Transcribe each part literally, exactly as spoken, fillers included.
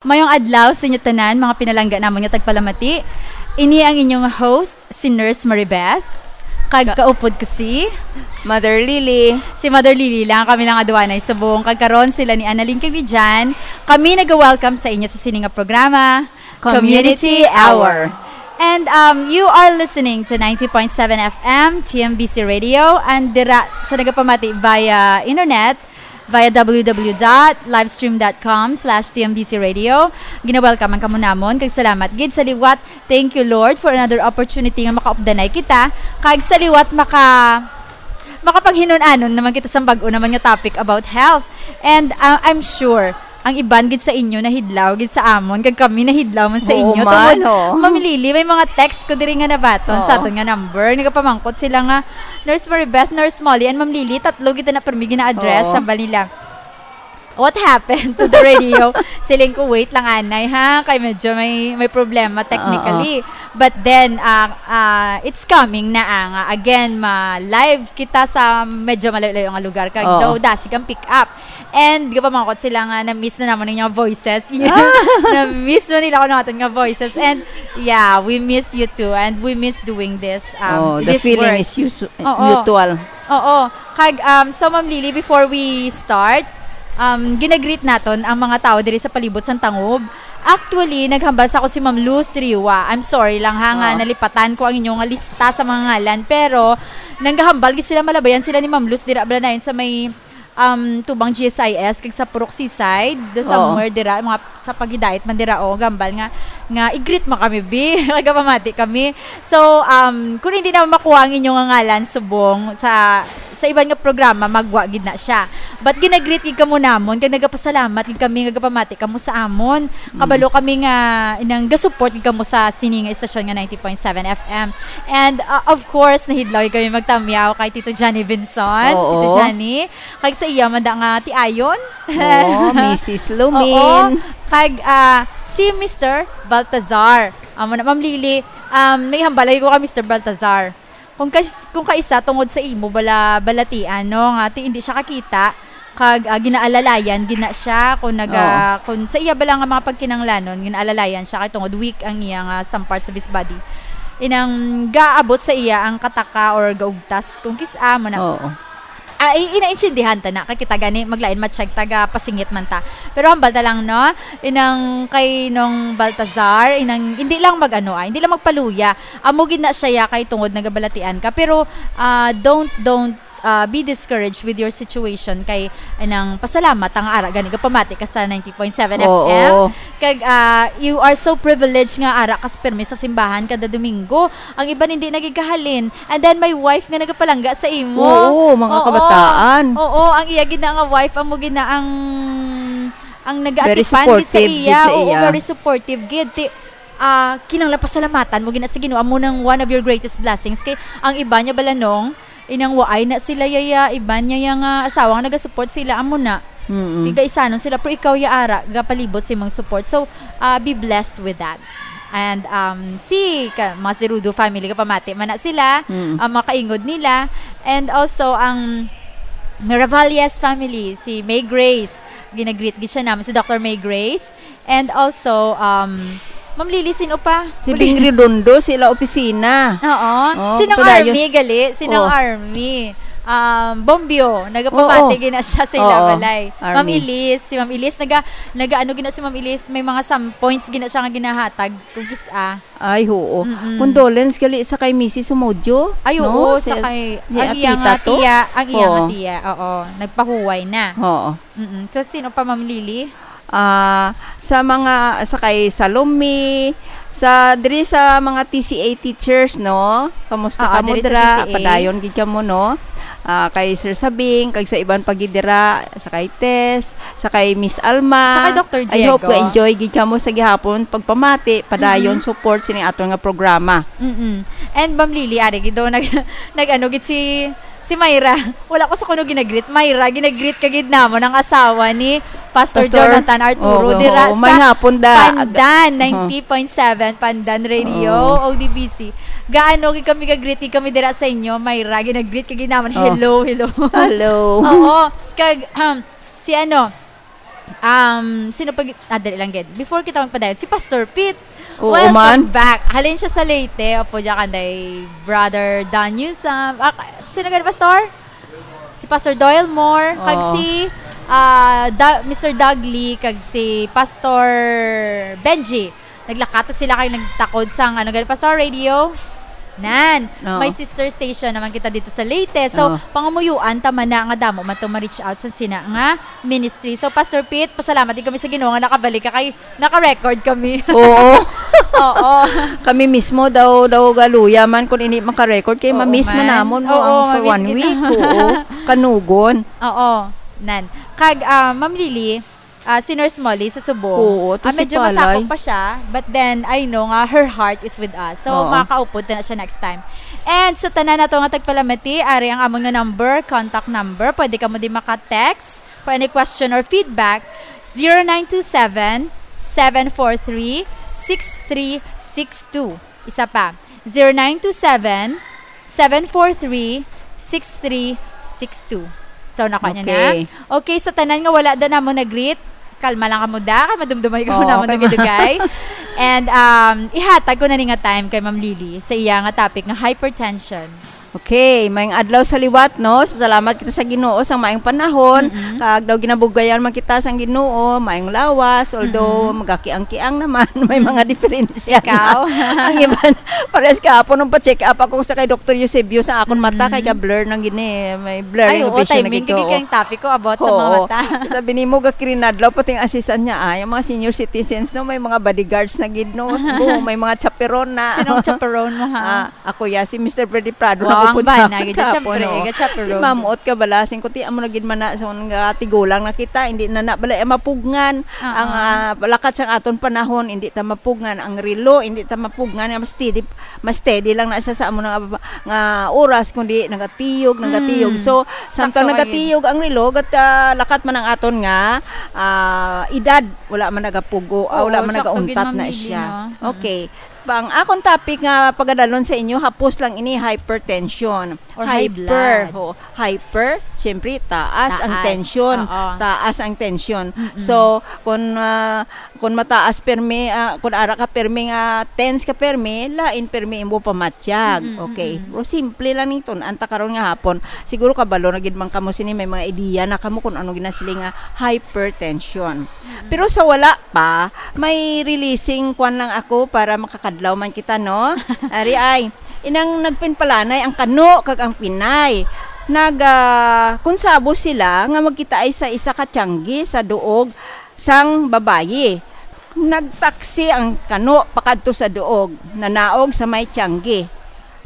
Mayong adlaw sa inyo tanan, mga pinalangga namon nga tagpalamati. Ini ang inyong host, si Nurse Maribeth. Kag Ka- kaupod ko si Mother Lily. Si Mother Lily lang, kami lang aduanay subong. Kag karon sila ni Annalyn kag ni Jan. Kami nag-welcome sa inyo sa sini nga programa, Community Community Hour. Hour. And, um, you are listening to ninety point seven F M, T M B C Radio, and dira sa nagapamati via internet, via W W W dot livestream dot com slash T M B C radio. Gina-welcome ang kamo namon, kag salamat gid sa liwat. Thank you, Lord, for another opportunity nga makaupdanay kita, kag sa liwat maka-, makapaghinun-anon naman kita sa bag-o naman nga topic about health. And, uh, I'm sure, ang iban gid sa inyo nahidlaw gid sa amon, kag kami nahidlaw man sa Oo inyo. man, Tungod, oo. Ma'am Lily, may mga text ko diri nga nabaton sa Oo. aton nga number. Nagapamangkot sila nga, "Nurse Maribeth, Nurse Molly, and Ma'am Lily, tatlo gid na permi gina-address," Oo. sa nila. "What happened to the radio?" Siling ko, "Wait lang, anay, ha? Kay medyo may, may problema technically." Oo. But then, ah, ah, it's coming na, ah, nga again, ma-live kita sa medyo malayo-layo nga lugar. Kag Oo. daw, dasig ang pick up. And gapamangkot sila nga na-miss na namon ang inyong voices. Ah! Na-miss mo nila kuno aton nga voices. And yeah, we miss you too. And we miss doing this, um, Oh, the this feeling work. is usu-, Oo. mutual. Oo. Kag, um, so, Ma'am Lily, before we start, um, ginagreet naton ang mga tao diri sa palibot sang tangob. Actually, naghambal sa ako si Ma'am Luz Riwa. I'm sorry lang, ha, nga Oo. nalipatan ko ang inyong lista sa mga ngalan. Pero, nanggahambal gid sila, malabayan sila ni Ma'am Luz dira bala na yun sa may, um, tubang G S I S, kag sa Purok Seaside, do Oo. somewhere dira, mga sa paghidait man dira, o, gambal nga, nga i-greet mo kami, bi. Nagapamati kami. So, um, kung hindi na makuha ang inyong ngalan subong sa, sa iban nga programa, magwa gid na siya. But ginagreet gid kamo namon, kag nagapasalamat gid kami nga gapamati kamo sa amon. Mm. Kabalo kami nga inang gasupport gid kamo sa sini nga istasyon nga ninety point seven F M. And, uh, of course, nahidlaw gid kami magtamyaw kay Tito Johnny Benson. Oo. Tito Johnny, kag sa iya man da nga tiayon. Oo, Missus Lumin. Oo. Kag, ah, si Mister Baltazar. Amo na, Ma'am Lily, um, may hambalay ko ka Mister Baltazar. Kung kas-, kung kaisa tungod sa imo bala-, balatian, no, nga ti-, hindi siya kakita, kag, ah, ginaalalayan gid na siya kung naga-, Oo. kung sa iya bala nga mga pagkinanglanon, ginaalalayan siya kay tungod weak ang iya nga some parts of his body. Inang gaabot sa iya ang kataka or gaugtas kung kis-, ah, mo na. Oo. Ah, i-, inaintindihan ta na, kay kita gani maglain matsyag taga pasingit man ta. Pero hambal ta lang, no? Inang kay nung Baltazar, inang hindi lang mag-ano, ah, hindi lang magpaluya. Amo gid na siya ya kay tungod nagabalatian ka. Pero, ah, don't, don't, ah, be discouraged with your situation kay inang pasalamat ang ara gani gapamati ka sa ninety point seven Oo. F M. Kag, ah, you are so privileged nga ara ka sa permi sa simbahan kada Domingo. Ang iban hindi nagikahalin. And then, may wife nga nagapalangga sa imo. Oo, mga Oo. kabataan. Oo, ang iya gid na nga wife, amo gid na ang, ang Very nagaatipan gid sa supportive gid iya. sa Oo, iya. very supportive gid. Ti-, ah, kinahanglan pasalamatan mo gid na sa Ginoo. Amo nang one of your greatest blessings. Kay ang iba niya balanong, inang waay na sila yaya, iban niya ya nga asawa nga nagasupport sila, amo na. Mm-mm. Tigaisanon sila, pero ikaw ya ara, gapalibot sa imong support. So, ah, be blessed with that. And, um, si, ka, mga si Rudo family, kapamati man na sila, Mm. ang mga kaingod nila. And also, ang Miravalles family, si May Grace, ginagreet gid siya naman, si Doctor May Grace. And also, um, Ma'am Lily, sino pa? Si Uli. Bing Redondo, sila opisina. Oo. Oh, Sinong padayon. Army, gali? Sinong Oh. Army? Um, Bombio, nagapamati Oo. gina siya sa ila Oo, balay. Ma'am Army. Elise, si Ma'am Elise, naga, naga ano gina si Ma'am Elise, may mga some points gina siya nga ginahatag, kung kis-a. Ay, oo. Mm-mm. Condolence gali sa kay Missus Sumodio, Ay, no? oo, Si, sa kay, si ang iya Atita nga to? tiya, ang iya nga Oo. tiya, oo, nagpahuway na. Oo. Mm-mm. So, sino pa, Ma'am Lily? Ah, sa mga, sa kay Salome, sa, diri sa mga T C A teachers, no? Kamusta Oo, kamo diri sa dira? T C A. Padayon gid kamo, no? Ah, kay Sir Sabing, kag sa iban pa gid dira, sa kay Tess, sa kay Miss Alma. Sa kay Doctor I hope Diego. ga-enjoy gid kamo sa gihapon pagpamati, padayon Mm-mm. support sini aton nga programa. Mm-mm. And Ma'am Lily, ari gid do, nag-, nag-ano gid si Si Myra, wala ko sa kuno ginagreet. Myra, ginagreet ka gid namon ang asawa ni Pastor Pastor? Jonathan Arturo Oo, dira oo, sa may hapon da. Pandan, Oo. ninety point seven Pandan Radio, Oo. O D B C. Gaano gid kami gagreet gid kami dira sa inyo, Myra, ginagreet ka gid namon. Oh. Hello, hello. Hello. Oo, kag, um, si ano, Um, sino pa gi-, ah, dali lang gid. Before kita magpadayon, si Pastor Pete. Oo, Welcome man. back. Halin siya sa Leyte. Opo, diyan kanday Brother Daniel sa, ah, sino gani, Pastor? Si Pastor Doyle Moore, kag Oo. si, ah, Da-, Mister Dudley, kag si Pastor Benji. Naglakato sila kay nagtakod sang, ano gani, Pastor, radio? Nan, Oo. may sister station naman kita dito sa Leyte. So, Oo. pangamuyuan ta man na nga damo man to ma-reach out sa sina nga ministry. So, Pastor Pete, pasalamat din kami sa Ginoo nga nakabalik ka kay naka-record kami. Oo. Oo. Kami mismo daw, daw galuya man kung hindi maka-record kay Oo, ma-miss man man. namon mo Oo, ang for ma-miss one kita. week. Oo. Kanugon. Oo. Nan. Kag, ah, Ma'am Lily, ah, si Nurse Molly sa Subo. Oo, to Ah, si medyo Palay. masakop pa siya, but then, I know nga her heart is with us. So, Oo. makaupod ta na siya next time. And sa tanan nato nga tagpalamati, ari ang amon nga number, contact number. Pwede kamo di maka-text for any question or feedback, zero nine two seven, seven four three, six three six two. Isa pa, zero nine two seven, seven four three, six three six two. So, nakuha niya na? Okay. Okay, sa tanan nga wala da namo nag-greet, kalma lang kamo da, kay madumdumay ko Oo, namo kay ma- nagidugay. And, um, ihatag ko na ni nga time kay Ma'am Lily sa iya nga topic nga hypertension. Okay, maayong adlaw sa liwat, no? Salamat kita sa Ginoo sa maayong panahon. Mm-mm. Kag daw ginabugayan man kita sang Ginoo, maayong lawas, although Mm-mm. magakiang-kiang naman, may Mm. mga diferensya na. Ikaw? Ang iban, parehas kahapon nung pa-check up ako sa kay Doktor Eusebio sa akon mata, kay Mm-mm. ka-blur nang gini, may blurring Ay, oo, vision na timing gid gid ko. kay ang topic ko about sa mga Oo. mata. Sabi nimo, gakirinadlaw, pati ang assistant niya, ay, ang mga senior citizens, no, may mga bodyguards na gid, no? Oo, may mga chaperon na. Sinong chaperon mo, ha? Ah, Ako ya, si Mister Freddy Prado Wow, nag-upod ang sa bana, akon gid, kahapon, syempre, oo. Gid siya, pero Di mamuot ka bala, sing kuti amo na gid man na, so, nga tigulang na kita, hindi na na bala, eh, mapugngan Ah, ang, ah. ah, lakat sang aton panahon, hindi ta mapugngan ang relo, hindi ta mapugngan nga mas steady, mas steady lang na siya sa amo nga, nga oras, kundi nagatiyog, nagatiyog. Mm. So, samtang Sakto kay nagatiyog ang relo, gat, ah, lakat man ang aton nga, ah, edad, wala man nagapugo, ah, Oo, wala man sakto gid, nagauntat Ma'am na Lily, siya. no? Mm. Okay. Ang akon topic nga pagadalon sa inyo, hapos lang ini, hypertension. Or high Hyper, blood. ho. Hyper, siyempre, taas ang Taas, tensyon. oo. Taas ang tensyon. Mm-mm. So, kung, ah, kung mataas permi, ah, kung ara ka permi nga tense ka permi, lain permi imo pamatyag. Mm-mm, Okay. mm-mm. Pero simple lang ning tun-an ta karon nga hapon. Siguro kabalo na gid man kamo sini, may mga ideya na kamo kung ano ginasiling nga hypertension. Mm-mm. Pero sa wala pa, may releasing kwan lang ako para makakadlaw man kita, no? Ari ay, inang nagpinpalanay ang kano kag ang pinay. Nag, ah, konsabo sila nga magkitaay sa isa ka tiyanggi sa duog sang babayi. Nagtaksi ang kano pakadto sa duog, nanaog sa may tiyanggi.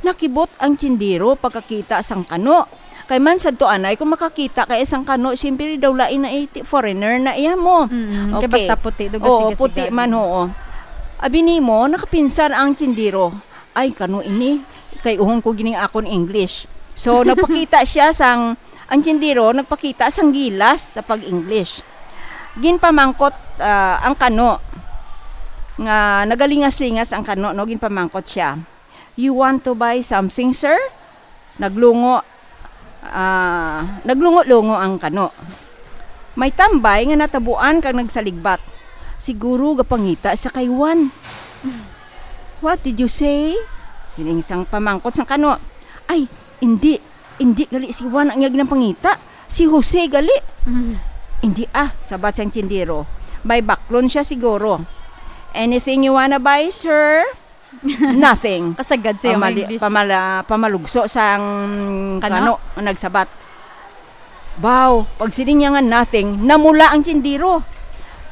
Nakibot ang tindero pagkakita sang kano. Kay man sadto anay, kung makakita kay isang kano, siyempre daw lain na iti, foreigner na iya mo. Mm, kay Okay. basta puti, daw Oo, gasiga-siga. puti man, oo. Abi nimo, nakapinsar ang tindero. Ay, kano ini? Kay uhon ko gining akon English. So, nagpakita siya sang, ang tindero, nagpakita sang gilas sa pag-English. Ginpamangkot, ah, ang kano, nga nagalingas-lingas ang kano, no? Ginpamangkot siya. "You want to buy something, sir?" Naglungo, ah, naglungo-lungo ang kano. May tambay nga natabuan kag nagsaligbat. Siguro gapangita siya kay Juan. "What did you say?" Sining sang pamangkot sang kano. "Ay, indi, indi gali si Juan ang iya ginapangita. Si Jose gali." Mm. "Indi ah," sabat sang tindero. "May baklon siya siguro." "Anything you wanna buy, sir?" "Nothing." Kasagad sa iyang Pamali-, English. pamala-, pamalugso sang Kano? kano nga nagsabat. Baw, pagsiling niya nga nothing, namula ang tindero.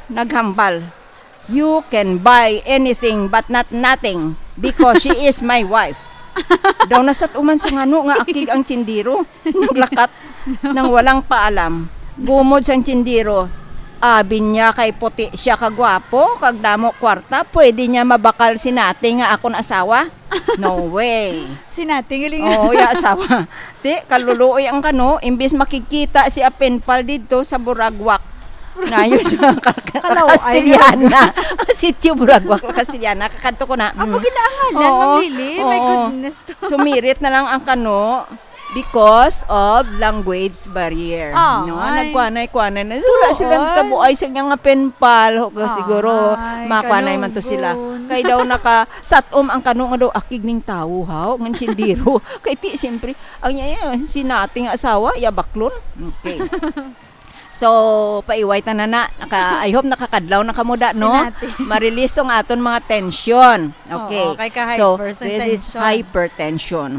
Naghambal, "You can buy anything but not nothing because she is my wife." Daw nasat-uman sa ngano nga akig ang tindero. Naglakat nang walang paalam. Gumod sang tindero. Abi niya kay puti siya kagwapo, kag damo kwarta, pwede niya mabakal si Nati nga akon asawa? No way. Si Nati, galing. Oo, ya asawa. Ti, kaluluoy ang kano, imbis makikita si Apenpal didto sa Buragwak. Nayon siya, ka-, ka-, Kalaw-ay, Castellana. Sitio Buragwak, Castellana. Kakadto ko na. Amo Mm. ginaangalan, Oo. Ma'am Lily? My Oo. goodness. Sumirit na lang ang kano. Because of language barrier. Ah, no? Ay. Nagkuanay-kuanay na. Wala sila Tuod. Kabuay sa nga pen pal. Ho, Ah, siguro, ay, makuanay man to sila. Kalugon. Kay daw naka, satom ang kano nga daw akig ning tawo, ha? Ngan sindiro. Kay ti, siyempre, ang iya, iya, si nating asawa, iya baklon. Okay. So, paiway ta na na. Naka, I hope nakakadlaw na kamo da, no? Sinati. Marilis tong aton mga tension. Okay. Oo, kay ka So, hyper sa this is tension. Hypertension.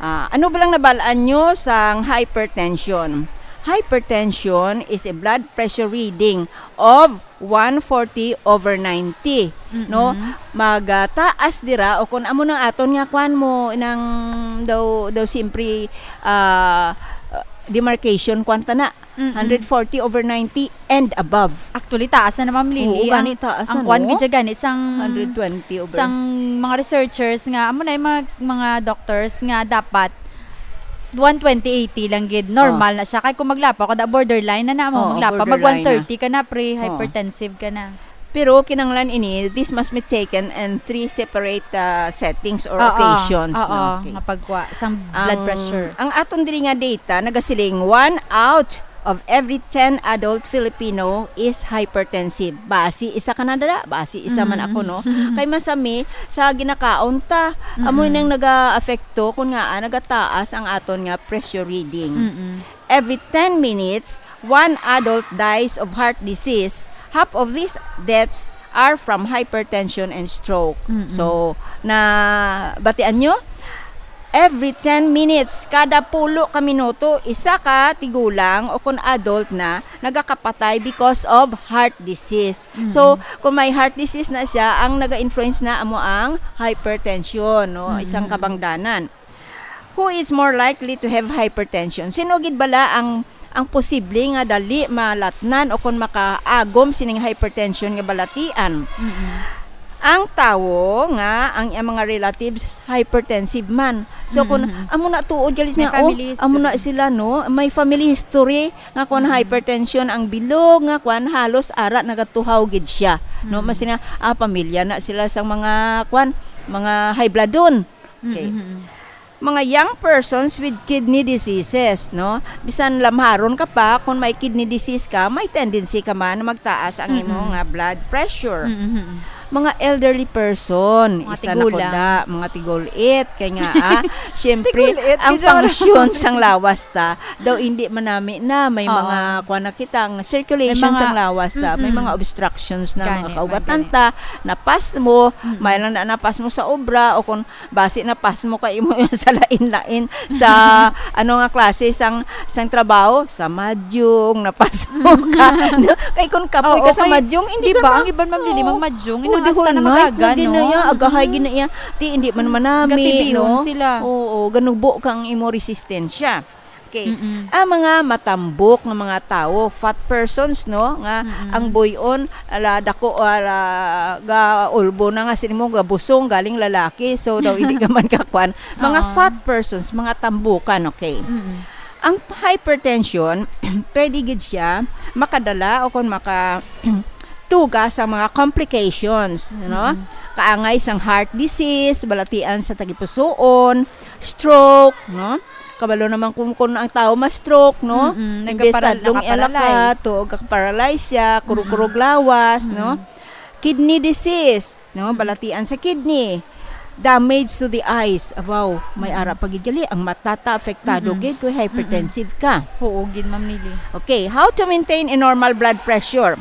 Ah, ano ba lang nabalaan nyo sang hypertension? Hypertension is a blood pressure reading of one forty over ninety, no? Mm-mm. Mag, ah, taas dira o kung amo nang aton nga kwan mo nang daw daw simpre, ah, demarcation kwan ta na. Mm-mm. Hundred forty over ninety and above. Actually, taas na na, Ma'am Lily. Oo, gani, Ang, taas ang na, kwan no? Gid siya gani, sang, Hundred twenty over. Sang mga researchers nga, amo na yung mga, mga doctors nga dapat one twenty eighty lang gid. Normal Oh. na siya. Kay kung maglapaw ka, da borderline na na mo. Oo, Maglapaw, mag borderline na. One thirty ka na, pre, Oh. hypertensive ka na. Pero kinahanglan ini, this must be taken in three separate, ah, settings or Oo, occasions, oo, no? Okay. Nga pagkuha sang blood Ang, pressure. Ang aton diri nga data nagasiling, one out of every ten adult Filipino is hypertensive. Basi isa ka na dala, basi isa man Mm. ako, no? Kay masami sa ginakaon ta, amo Mm. nang naga-apekto kung nga, ah, nagataas ang aton nga pressure reading. Mm-mm. Every ten minutes, one adult dies of heart disease. Half of these deaths are from hypertension and stroke. Mm-mm. So, na batian nyo? Every ten minutes, kada pulo ka minuto, isa ka tigulang o kung adult na, nagakapatay because of heart disease. Mm-mm. So, kung may heart disease na siya, ang naga-influence na amo ang hypertension, no? Isang Mm-mm. kabangdanan. Who is more likely to have hypertension? Sino gid bala ang, ang posible nga dali malatnan o kon makaagom sining hypertension nga balatian? Mm-mm. Ang tawo nga ang iyang mga relatives hypertensive man. So, kung Mm-mm. amo na tuod gali May niya, oh, family amo na history. Sila, no? May family history nga kung Mm-mm. hypertension ang bilog, nga kwan, halos ara nagatuhaw gid siya, no? Mm-mm. Mas na, ah, pamilya na sila sang mga kwan, mga high bloodon. Okay. Mm-mm. Mga young persons with kidney diseases, no? Bisan lamharon ka pa, kung may kidney disease ka, may tendency ka man na magtaas ang imo Mm-mm. nga blood pressure. Mm-mm. Mga elderly person, Mga isa na ko tigulang. Da, mga tigul-it, kay nga, ah, syempre, Tigulit, ang di joke lang. Function sang lawas ta, daw hindi manami na, may Oo. Mga, kuwan na kita, ang circulation May mga, sang lawas ta, may mm-mm. Mga obstructions na, Gani, mga kaugatan may gani. Ta, napasmo, Mm-mm. May lang na napasmo sa obra, o kung basi napasmo ka imo sa lain-lain sa, ano nga klase sang, sang trabaho, sa madyong napasmo ka. No? Kay kung kapoy Oo, ka sa kay, madyong, hindi di ka ba, ma-, ang iban mamili oo. Magmadyong, Oo, inang di hasta na huna, magaga, ito, no? Ginaya, agahay, ginaya. Di, hindi man manami, gatibion no? Sila. Oo, ganubo kang imo resistensya. Okay. Mm-mm. Ang mga matambok nga mga tawo, fat persons, no, nga Mm-mm. Ang buyon, ala, dako, ala, ga ulbo na nga sini mo, gabusong, galing lalaki, so daw hindi ka man kakwan. Mga Oo. Fat persons, mga tambukan, okay. Mm-mm. Ang hypertension, pwede gid siya makadala o kung maka tuga sa mga complications, no? Mm-mm. Kaangay sang heart disease, balatian sa tagipusoon, stroke, no? Kabalo naman kung, kung ang tao ma-stroke, no? Mm-mm. Imbes nagkaparal-, tadlong iya lakat, nagkaparalyze. To, nagkaparalyze siya, kurog-kurog Mm-mm. Lawas, no? Mm-mm. Kidney disease, no? Mm-mm. Balatian sa kidney. Damage to the eyes. Abaw, may Mm-mm. Ara pa gid gali. Ang mata ta, apektado Mm-mm. Gid kung hypertensive ka. Mm-mm. Oo, gid, Ma'am Lily. Okay, how to maintain a normal blood pressure?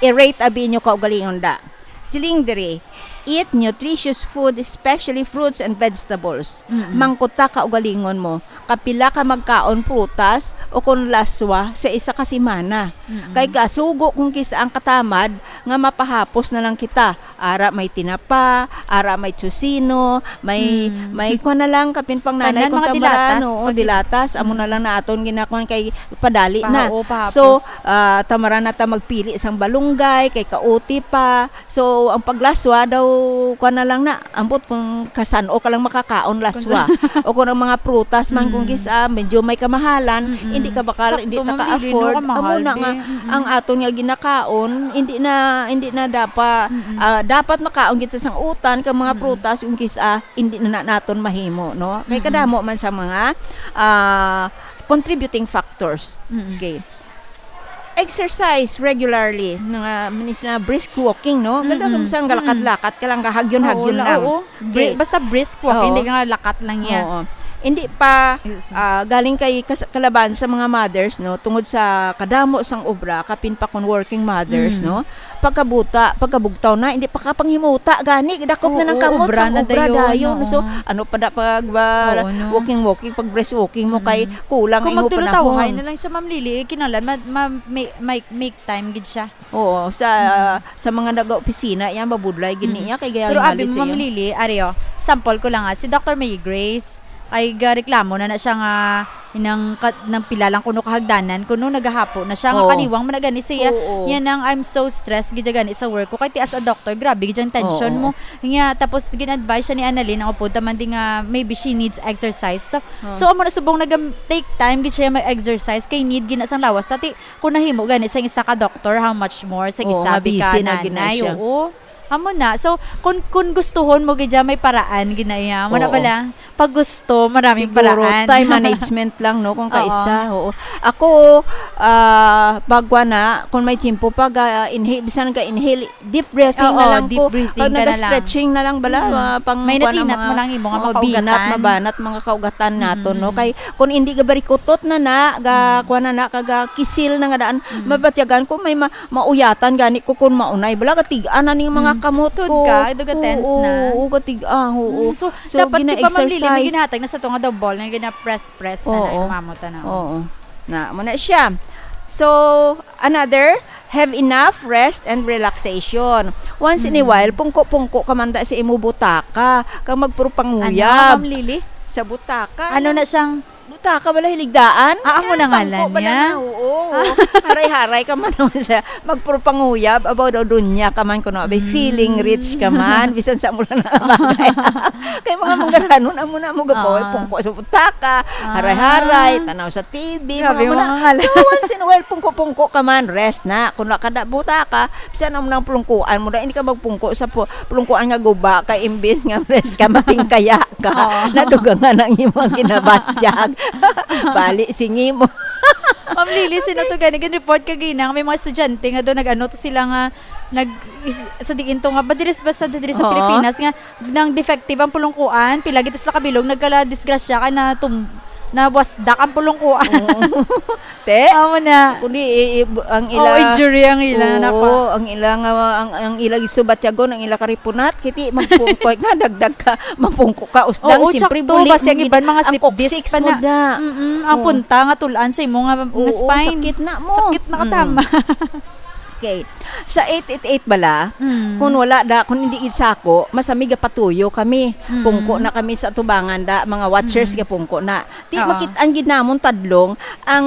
I-rate abi inyo kaugalingon da. Siling diri, eat nutritious food, especially fruits and vegetables. Mm-mm. Mangkuta ka ugalingon mo, kapila ka magkaon prutas o kon laswa sa isa ka semana. Mm-mm. Kay kasugo kung kis-, ang katamad nga mapahapos na lang kita. Ara may tinapa, ara may tocino, may, Mm. May kuwan na lang, kapin pang nanay Tanan kung mga tamaran, dilatas, oo, pati dilatas, amo na Mm. Lang na aton ginakuan kay padali Pa-, na. Oo, pahapos. So, ah, tamaran na ta magpili sang balunggay, kay kaoti pa. So, ang paglaswa daw, kuwan na lang na, ambot kung kasan-o ka lang makakaon laswa. Kung sa- O kung ang mga prutas man, Mm. Kung gis-, ah, medyo may kamahalan, Mm-mm. hindi ka bakal, Sakto, hindi ta Ma'am Lily, no, ka-afford. Kamahal, Amo na be. nga, Mm-mm. ang aton nga ginakaon, hindi na, hindi na dapat, Mm-mm. ah, dapat makaon kita sang utan, kag mga Mm-mm. prutas, yung kis-, ah, hindi na, na naton mahimo, no? Kay Mm-mm. kadamo man sa mga, ah, contributing factors. Mm-mm. Okay. Exercise regularly, mga, minis na brisk walking, no? Ganda Mm-mm. kung saan Mm-mm. galakat-lakat ka lang, gahagyon-hagyon Oo, lang. oo. Bri-, Okay. basta brisk walk, Oo. hindi nga lakat lang yan. Oo. Hindi pa, Yes, ma'am. ah, galing kay kas-, kalaban sa mga mothers, no? Tungod sa kadamo sang obra, kapin pa kon working mothers, Mm. no? Pagkabuta, pagkabugtaw na, hindi pa kapanghimuta, gani, dakop na Oo, ng kamot obra sang na obra dayon, dayon. oo. So, ano pa da pag, ba, Oo, no? walking, walking, pag brisk walking mo, kay Mm. kulang Kung ang imo magtulutawhay panahon. na lang siya, Ma'am Lily, eh, kinahanglan, ma-, ma-, may, may, make time gid siya. Oo, sa, Mm. sa mga nag-opisina, yan, mabudlay gid Mm. niya, kay gaya Pero nga abi gid mo, siya. Ma'am Lily, ari, oh, sample ko lang, ah, si Doctor May Grace, ay gareklamo na na siya nga inang ka-, nang pila lang kuno kahagdanan, kuno nagahapo na siya, nga Oo. kaliwang man na gani siya. Oo. Yan ang, "I'm so stressed gid gani sa work ko." Kay ti as a doctor, grabe gid ang tension Oo. mo. Nga, tapos gin-advise siya ni Annalyn, ang upod ta man di nga maybe she needs exercise. So, Ah. so, amo na subong nag-, take time gid siya mag-exercise, kay need gid na sang lawas. Tati, kung nahimo gani sa isa ka doktor, how much more sa Oo, isa nga bi ka busy na gid na nanay, siya. oo. Amo na. So, kung, kung gustuhon mo gid dyan, may paraan gid na iya. Amo na Oo. pala. Pag gusto, maraming Siguro, paraan. time management lang, no, kung Oo. kaisa, oo. Ako, ah, bagwa na, kung may tiyempo pa, ga-, inhale, bisan ka inhale, deep breathing Oo, na lang deep ko. breathing Pag ka na lang. naga-stretching na lang bala, Mm. ah, pang May kuwan ang natinat mga, mo lang imo nga oo, mga binat, kaugatan. mabanat, mga kaugatan naton, no? Mm. Kay kung hindi ka barikutot na na, ga, Mm. kuwan na na, kaga kisil na nga daan, Mm. mabatyagan ko, may ma-, mauyatan gani ko kung maunay. Bala, gatig-an na ning mga Mm. kamot Tud ko. ka, do ga-tense Oo, na. oo, gatig-an, oo. Mm, so, So, dapat, di ba, Ma'am Lily, may gina-exercise. ginahatag na sa to nga daw ball, nga gina-press-press na na Oo. yung mamot, ano. Oo. Na, mo na siya. So, another, have enough rest and relaxation. Once in a Mm. while, pungko-pungko ka man da sa imo butaka, kag magpurupanguyab Ano, Ma'am Lily? sa butaka. Ano na siyang Butaka, wala hiligdaan? Ah, amo Yan, na nga pangko lang ba niya? na? Oo, oo. Ah. Haray-haray ka man sa magpurupanguyab, abaw daw dunya ka man kuno, abay, Mm. feeling rich ka man, bisan sa mula na kamagay. Kay mga manggaranon, amo na mo gapaw, Ah. pungko sa butaka, Ah. haray-haray, tanaw sa T V, Grabe, mga muna. mga ngal- So, once in a while, pungko-pungko ka man, rest na. Kung nakada butaka, bisan amo nang pulungkuan mo, dahil hindi ka magpungko sa pu-, pulungkuan nga guba, kay imbis nga rest ka, matingkaya ka. Oo. Nadugangan ang imong ginabatyag. Bali, singi mo. Ma'am Lily, sino to gani? Gin-report ka gina, may mga estudyante nga do nag-ano to sila nga nag is, sa diin to nga ba diri ba sa diri sa Oo. Pilipinas nga nang defective ang pulungkuan, pila gid to sila kabilog nagkala disgrasya kay na tum-, nabwasdak ang pulungkuan. Oo. Te? Amo na. Kundi i-, i-, ang Oo, ila injury ang ila Oo, napa. ang ila nga, ang, ang ila gisubatyagon, ang ila karipunat, kiti magpungkoy nga, dagdag ka, mapungko ka, usdang, Oo, siyempre, tsakto, buli basi ang mo gid iban mga ang slip disc coccyx pa mo na. da. Mm-mm, ang Oo. punta nga tulan sa imo nga, nga Oo, spine. sakit na mo. Sakit na Mm. katama. Okay. Sa eight eight eight bala, Mm. kung wala da, kung hindi gid sako, masami gapatuyo kami. Mm. Pungko na kami sa tubangan da, mga watchers Mm. gapungko na. Ti Oo. makit-an gid namon tadlong ang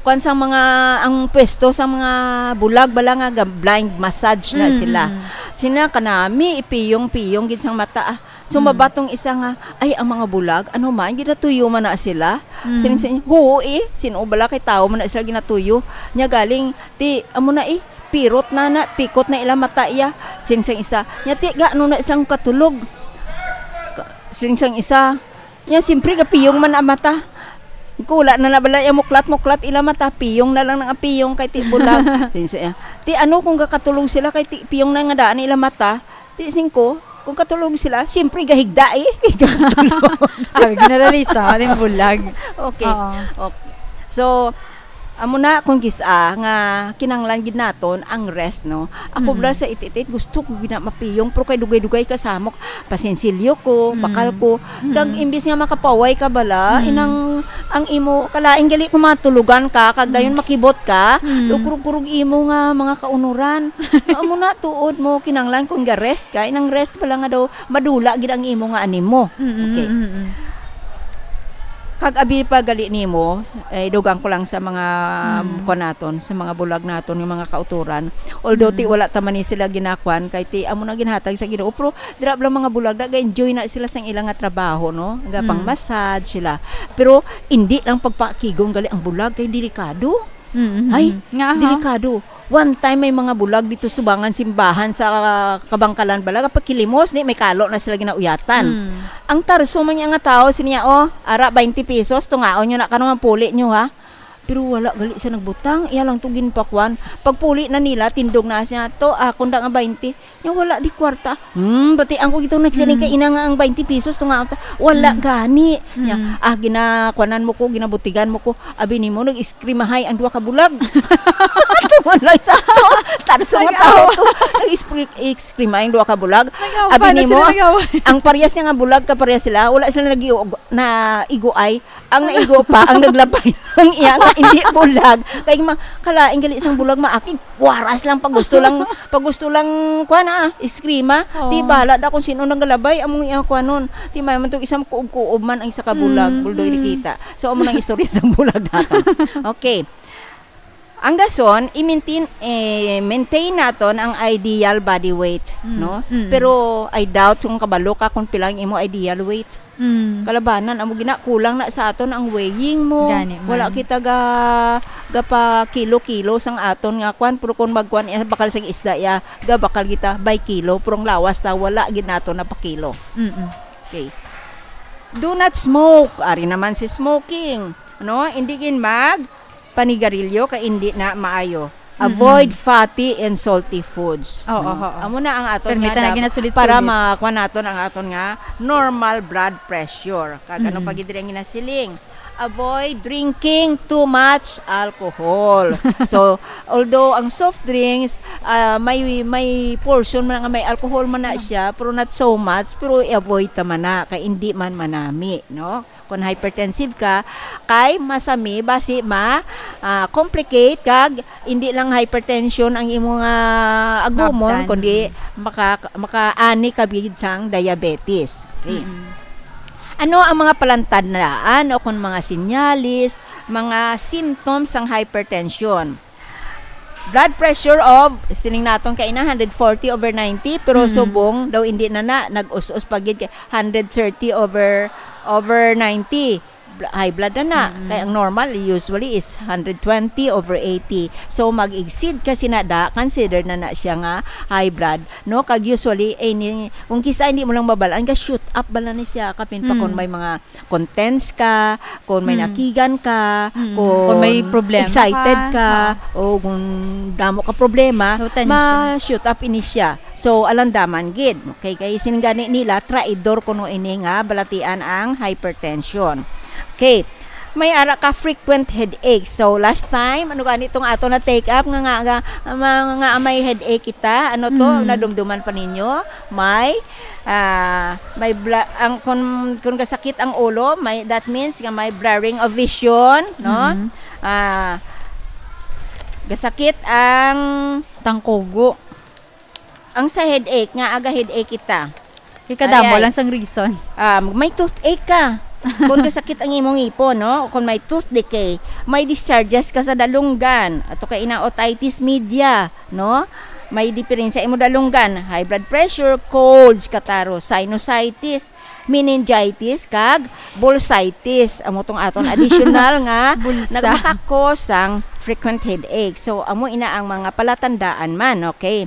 kuwan sang mga, ang pwesto sa mga bulag bala nga ga-, blind massage na Mm, sila. mm. Sina kanami, ipiyong-piyong gid sang mata, ah. So, Mm. mabatong isa nga, "Ay, ang mga bulag, ano man, ginatuyo man na sila?" Mm. Sin-, sin-, "Huo, eh, sin-o bala kay tawo man na sila ginatuyo?" Nya galing, ti, amo na, eh, pirot na na, pikot na ila mata iya. Sin-, sang isa, nya, "Ti, ga, ano na isang katulog?" Ka-, sin-, sang isa, nya, simpre, gapiyong man ang mata. Kula na na bala iya muklat-muklat ila mata, piyong na lang ang piyong kay ti bulag. Sin-, sang iya, "Ti, ano kung gakatulog sila kay ti piyong na nga daan ila mata?" Ti singko, kung katulog sila, siyempre gahigda eh. Gakatulog. Abi, ginalalisa, ating bulag. Okay. Oo. Okay. So, amo na kung gis-a nga kinahanglan gid naton ang rest, no? Ako Mm. bala sa ititit, gusto ko gina mapiyong, pero kay dugay-dugay ka samok, pasinsilyo ko, Mm. bakal ko. Mm. Dag imbis nga makapaway ka bala, Mm. inang ang imo, kalain gali kung matulugan ka, kag dayon Mm. makibot ka, Mm. lukurog-kurog imo nga mga kaunuran. Amo na, tuod mo, kinanglan kung ga-rest ka, inang rest pala nga daw, madula gid ang imo nga animo. Mm, Okay. mm, mm. Pag-abi pa gali nimo, eh, dugang ko lang sa mga, Mm. kuwan naton, sa mga bulag naton, yung mga kauturan. Although, ti, Mm. wala ta man ni sila ginakuan, kay ti, amo na ginhatag sa Ginoo. Pero, dira lang mga bulag, nag-enjoy na sila sa ilang nga trabaho, no? Gapang Mm. massage sila. Pero, hindi lang pagpakigong gali ang bulag, kay delikado. Mm, mm, Ay, mm. Nga, ha? Delikado. One time may mga bulag dito subangan simbahan sa Kabangkalan bala, kapag kilimos, ni may kalo na sila ginauyatan. Mm. Ang tarso man niya nga tao, siya niya, "Oh, ara, twenty pesos, tungaon nyo na karon ang puli nyo, ha." Pero wala gali siya nagbutang, iya lang to ginpakuan. Pagpuli na nila, tindog na siya, "To, akon da nga twenty." Nya wala di kwarta. Hmm, bati ang ko gitong nagsiling kay Mm. ina nga ang twenty pesos to nga ta-, wala Mm. gani. Nya, Mm. ah, ginakuanan mo ko, ginabutigan mo ko. Abi nimo, nag-iskrimahay ang duha ka bulag. Tuman lang sa to. Tarso nga Nag-awa. tao to. Nag-iskri-, iskrimahay ang duha ka bulag. Nag-awa Abi na nimo, sila, nag-awa. ang parehas niya nga bulag, kaparehas sila. Wala sila nag-iug-, na iguay. Ang naigo pa, ang naglabay ng iya nga hindi bulag. Kay ma-, kalain gali sang bulag, maakig. Waras lang pag gusto lang, pag gusto lang, kuha na, ah, iskrima. Oo. Di bala da kung sino naggalabay, among iya kuha nun. Di may man tong isang kuob-kuob man ang isa ka bulag, Mm, buldoy mm. Rikita. So, amo nang istorya sa bulag nato. Okay. Ang dason, i-maintain, eh, maintain naton ang ideal body weight, Mm, no? mm. Pero I doubt kung kabalo ka kung pila ang imo ideal weight. Mm. Kalabanan, amo gina, kulang na sa aton ang weighing mo. Gani man. Wala kita ga, gapa kilo-kilo sang aton nga kwan, pero kung magkwan iya, bakal sang isda iya, ga bakal kita by kilo, pero ang lawas ta, wala gid nato na pa kilo. Mm-mm. Okay. Do not smoke. Ari naman si smoking. No? Hindi gid mag panigarilyo kay hindi na maayo. Avoid Mm-mm. fatty and salty foods. Oo, No? oo. Amo na ang aton Permi nga ta na dap-, ginasulit-sulit. para makuha naton ang aton nga normal blood pressure. Kag ano Mm-mm. pa gid diri ang ginasiling? Avoid drinking too much alcohol. So, although ang soft drinks, ah, may, may portion man nga may alcohol man na Mm. siya, pero not so much, pero i-avoid ta man na, kay hindi man manami, no? Kung hypertensive ka, kay masami basi ma, ah, complicate kag hindi lang hypertension ang imo nga agumon, Mabdan. kundi maka-, makaani ka gid sang diabetes. Okay. Mm. Ano ang mga palantandaan o kung mga sinyalis, mga symptoms sang hypertension? Blood pressure of, siling naton kaina, hundred forty over ninety, pero Mm. subong daw hindi na na, nag-us-us pa gid kay hundred thirty over, over ninety. Bl-, high blood na na. Mm. Kay ang normal usually is hundred twenty over eighty. So, mag-exceed kasi na da, considered na na siya nga high blood, no? Kag usually, eh, ni, kung kisa hindi mo lang mabalaan, ga-shoot up bala ni siya, kapin pa kung Mm. may mga contents ka, kung may Mm. nakigan ka, Mm. kung Kung may problema excited ka. ka, Ah. o kung damo ka problema, So, tension. ma-shoot up ini siya. So, alandaman gid. Okay, kay sining gani nila, traidor kuno ini nga balatian ang hypertension. Okay. May ara ka frequent headache. So, last time, ano gani itong ato na take up nga, nga, nga, nga, nga may headache kita? Ano to? Mm. Nadumduman pa ninyo? May, ah, may bla-, ang, kung, kung gasakit ang ulo, may, that means nga may blurring of vision, no? Mm. Ah, gasakit ang Tangkugo. Ang sa headache, nga aga headache kita. Ikadamo Ay, ay. lang sang reason. Ah, may toothache ka. Kung kasakit ang imong ngipon, no? O kung may tooth decay, may discharges ka sa dalunggan. Ato kay ina otitis media, no? May diferensya imo dalunggan, high blood pressure, colds, kataro, sinusitis, meningitis, kag bursitis. Amo tong aton additional nga Bulsa. nagmakakos sang frequent headache. So, amo ina ang mga palatandaan man, okay?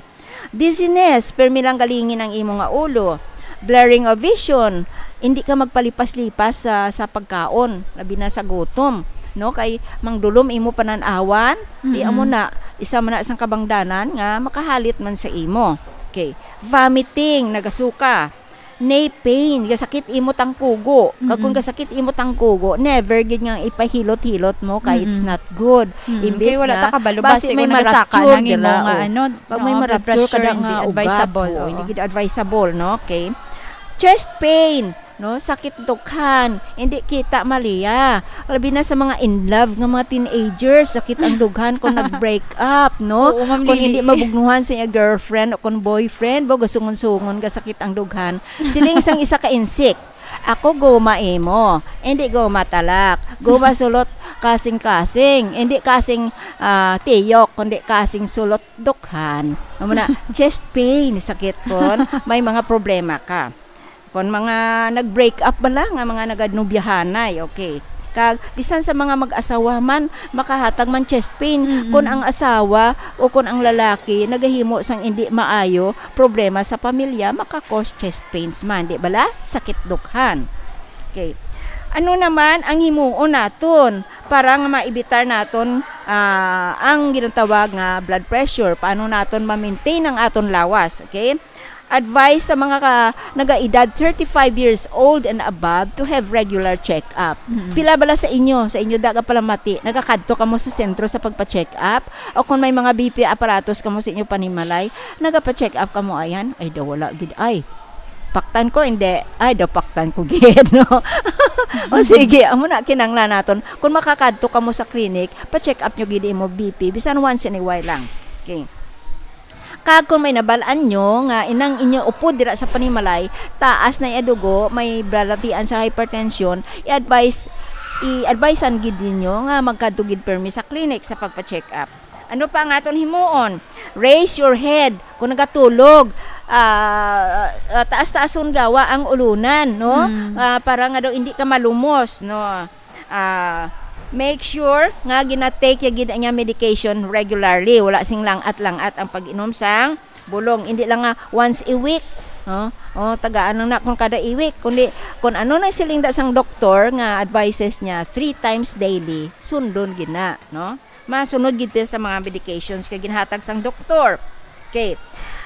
Dizziness, permi lang galingin ang imo nga ulo. Blurring of vision, hindi ka magpalipas-lipas sa, sa pagkaon, labi na sa gutom, no? Kay mangdulom imo panan-awan, di Mm-mm. amo na, isa man na sang kabangdanan nga makahalit man sa imo. Okay. Vomiting, nagasuka. Knee pain, gasakit imo tangkugo. Kag kung Mm-mm. gasakit imo tangkugo, never gid nga ipahilot-hilot mo kay it's Mm-mm. not good. Mm-mm. Imbis Kay wala na, ta kabalo, basi basi may kung nagasaka ma-rupture na ang imo dira, nga oh. ano, Pag may Oo, blood ma-rupture pressure, kada hindi nga ugat, advisable, oo, oo. hindi gid advisable, no? Okay. Chest pain. No, sakit dukhan, hindi kita maliya. Labi na sa mga in love nga mga teenagers, sakit ang dughan kung nag-break up, no? Oo, Ma'am Kung Lily. Hindi mabugnuhan sa iya girlfriend o kung boyfriend, bo, gasungon-sungon ga sakit ang dughan. Siling sang isa ka insik, "Ako guma imo, hindi guma talak. Guma sulot kasing-kasing, hindi kasing, ah, tiyok, kundi kasing sulot dukhan." Amo na, chest pain, sakit kon may mga problema ka. Kon mga nag-break up bala nga mga naganobyahanay, okay. Kag bisan sa mga mag-asawa man, makahatag man chest pain. Mm-mm. Kon ang asawa o kon ang lalaki nagahimo sang indi maayo problema sa pamilya, maka-cause chest pains man, di bala? Sakit dukhan. Okay. Ano naman ang himuon naton para nga maibitar naton, ah, ang ginatawag nga blood pressure? Paano naton ma-maintain ang aton lawas? Okay? Advice sa mga ka, nagaedad thirty-five years old and above to have regular check-up. Mm-mm. Pila bala sa inyo, sa inyo da ka palamati, nagakadto kamo sa sentro sa pagpa-check-up? O kung may mga B P apparatus kamo sa inyo panimalay, nagapa-check-up kamo ayan? Ay, daw wala gid ay. Paktan ko, hindi. Ay, daw paktan ko gid, no? O sige, amo na kinanglan naton. Kung makakadto kamo sa clinic, pa-check up nyo gid imo B P, bisan once in a while lang. Okay. Kag kung may nabal-an nyo nga inang inyo upod dira sa panimalay, taas na iya dugo, may balatian sa hypertension, i-advise, i-advisean gid ninyo nga magkadto gid permi sa clinic sa pagpa-check up. Ano pa ang aton himuon? Raise your head. Kung nagatulog, ah, ah, taas-taason gawa ang ulunan, no? Mm. Ah, para nga daw hindi ka malumos, no? Ah, make sure nga gina-take ya gid ang iyang medication regularly. Wala sing lang-at-lang-at ang pag-inom sang bulong. Hindi lang nga once a week, no? O, tagaan lang na kung kada a week, kundi kung ano na siling da sang doktor nga advices niya, three times daily, sundon gid na, no? Masunod gid sa mga medications kay ginhatag sang doktor. Okay.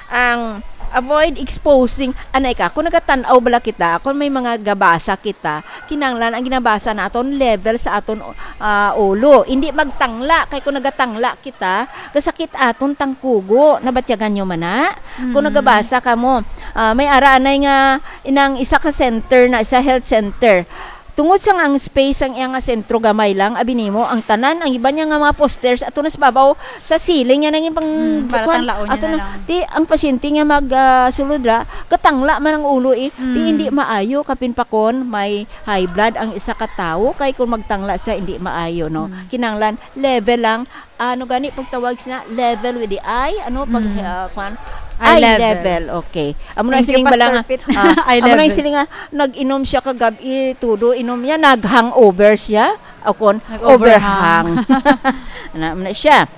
Ang avoid exposing, anay ka, kung nagatan-aw bala kita, kung may mga gabasa kita, kinanglan ang ginabasa naton level sa aton, ah, ulo. Hindi magtangla, kay kung nagatangla kita, kasakit aton tangkugo. Nabatyagan nyo man na? Kung Mm. nagabasa kamo, ah, may ara anay nga inang isa ka center na, sa health center. Tungod sang ang space sang iya nga sentro gamay lang, abi nimo, ang tanan, ang iban niya nga mga posters, ato na sa babaw, sa ceiling niya nangin pang Mm, para bukuan. Tanglaon niya Ato na na, lang. Di, ang pasyente nga mag, ah, sulod ra, katangla man ang ulo eh. Di, Mm. hindi maayo, kapin pa kon may high blood ang isa ka tawo, kay kung magtangla siya, hindi maayo, no? Mm. Kinanglan, level lang, ano gani pagtawag sina, level with the eye, ano, pag, Mm. ah, kwan? Eye Eye level. Level, okay. Amo na Thank you, siling bala Pastor nga, Pete. Ah, Eye amo na level. Siling nga, nag-inom siya kagab-i, tudo, inom niya, nag-hangover siya. O kon, Nag-overhang. Overhang. Na, na siya.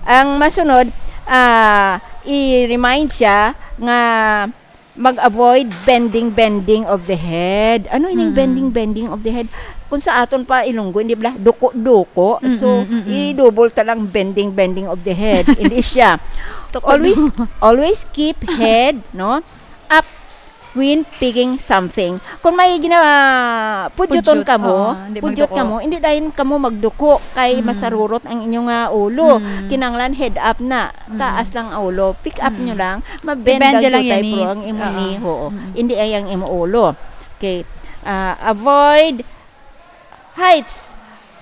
Ang masunod, ah, i-remind siya nga mag-avoid bending, bending of the head. Ano ining Mm-mm. bending, bending of the head? Kung sa aton pa Ilonggo, hindi bala, duko-duko. So, Mm-mm, mm-mm. I-double ta lang bending, bending of the head. Hindi siya. Duko-duko. Always, always keep head, no? Up when picking something. Kung may gina-, pudyuton Pudyot, kamo, oo, hindi pudyot magduko. Kamo, hindi dayon kamo magduko kay Mm. masarurot ang inyong, ah, ulo. Mm. Kinanglan head up na, Mm. taas lang ang ulo. Pick up Mm. nyo lang, ma-bend I-bend lang nyo lang gyud yan, tay, pero is. Ang imo Oo. Ni, oo. Mm. Hindi ay ang imo ulo. Okay. Ah, avoid heights.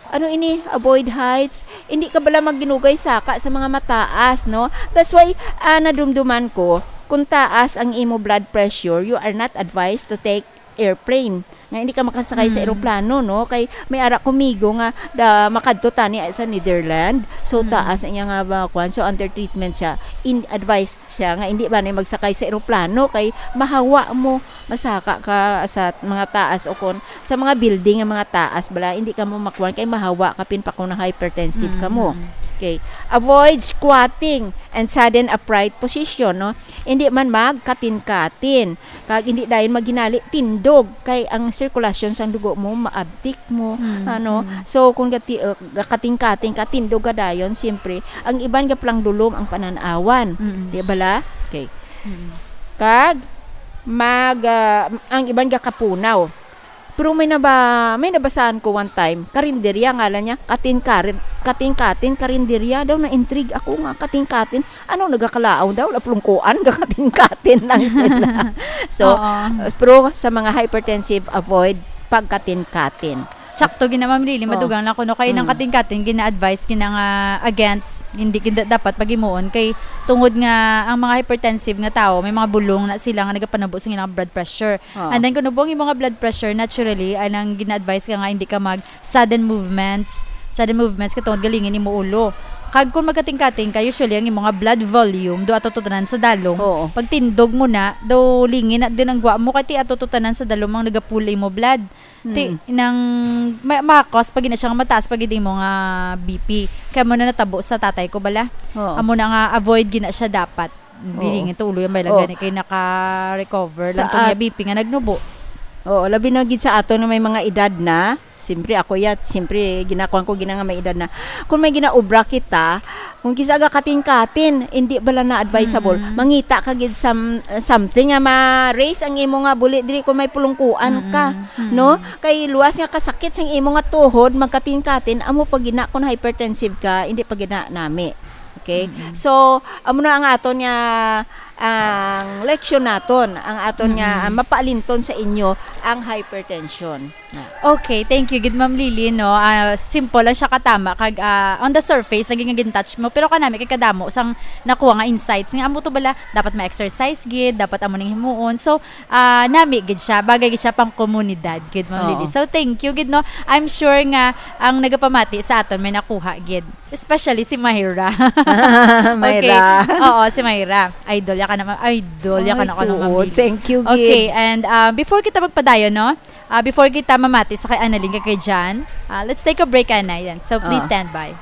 Ano ini? Avoid heights. Hindi ka bala magginugay saka sa mga mataas, no? That's why, ah, nadumduman ko, kung taas ang imo blood pressure, you are not advised to take airplane. Nga hindi ka makasakay sa Mm. eroplano, no? Kay may ara ko migo nga da, makadto tani sa Netherlands. So, Mm. taas ang iya nga mga kwan. So, under treatment siya. In, advised siya nga hindi ba na magsakay sa eroplano kay mahawa mo, masaka ka sa mga taas o kon sa mga building nga mga taas bala, hindi ka mo makuan kay mahawa ka pin pa kung na hypertensive ka mo. Mm. Okay. Avoid squatting and sudden upright position, no? Hindi man magkatin-katin. Kag hindi dayon maghinali tindog kay ang sirkulasyon sang dugo mo maabtik mo, Mm, ano? Mm. So kung gati-, uh, gakating-kating ka, tindog ka dayon, siyempre, ang iban gaplang dulom ang panan-awan. Mm. Di bala? Okay. Mm. Kag mag, ah, ang iban gakapunaw. Pero may naba-, may nabasahan ko one time, karinderya, ngalan niya, Katin Karin, Katin Katin, karinderya daw, na-intrigue ako nga, Katin Katin. Ano, nagakalaon daw, laplungkuan, gakatin-katin lang sila. So, Oo. Pero sa mga hypertensive, avoid pagkatin-katin. Sakto gid na, Ma'am Lily, Oo. madugang lang ko, no, kay nang Mm. katin-katin, gina-advise, gina nga against, hindi gid dapat paghimuon, kay tungod nga ang mga hypertensive nga tawo, may mga bulong na sila nga nagapanubo sa ilang blood pressure. Oo. And then, kung nubo ang imo nga blood pressure, naturally, ay nang gina-advise ka nga hindi ka mag sudden movements, sudden movements, kay tungod galingin imo ulo. Kag kung magkating-kating ka, usually, ang imo nga blood volume, do ato to tanan sa dalom. Oo. Pagtindog mo na, do lingin na din ang gwa mo, kay ti ato to tanan sa dalom ang nagapull imo blood. Ti, Hmm. nang ma- makakos pa gid na siya nga mataas pa gid imo nga B P. Kaya mo na natabo sa tatay ko bala. Oo. Amo na nga avoid gid na siya dapat. Dili Oo. nga to ulo yung may Oo. lagani kay naka-recover Sa lang to niya at- B P nga nagnubo. Oo, labi na gid sa ato na may mga edad na. Siyempre, ako yat, siyempre, ginakuan ko gina nga may edad na. Kung may ginaobra kita, kung kisa ga katin-katin, hindi bala na advisable. Mm-mm. Mangita ka gid sam-, something nga ma-raise ang imo nga buli diri kung may pulungkuan ka, Mm-mm. Mm-mm. no? Kay luwas nga kasakit sang imo nga tuhod, magkatin-katin, amo pa gina kung hypertensive ka, hindi pa gina nami. Okay? Mm-mm. So, amo na ang aton nga, ang leksyon naton, ang aton nga, Mm-mm. ah, mapaalinton sa inyo ang hypertension. Na. Okay, thank you gid, Ma'am Lily, no. Ah, simple lang siya katama kag, ah, on the surface lagi nga gin-touch mo, pero kanami kay kadamo sang nakuha nga insights nga amo to bala dapat ma-exercise gid, dapat amo ning himuon. So, ah, nami gid siya, bagay gid siya pang komunidad gid, Ma'am Oo. Lily. So, thank you gid, no. I'm sure nga ang nagapamati sa aton may nakuha gid, especially si Myra. Okay. Myra. Oo, si Myra. Idol ya ka naman. Idol ya ka Ay, na ko, Ma'am tuod. Lily. Thank you, Okay, gid. And, ah, before kita magpadayon, no, ah, before kita mamati sa kay Annalyn kag kay Jan, ah, let's take a break, Ana. Yan. So, please Ah. stand by.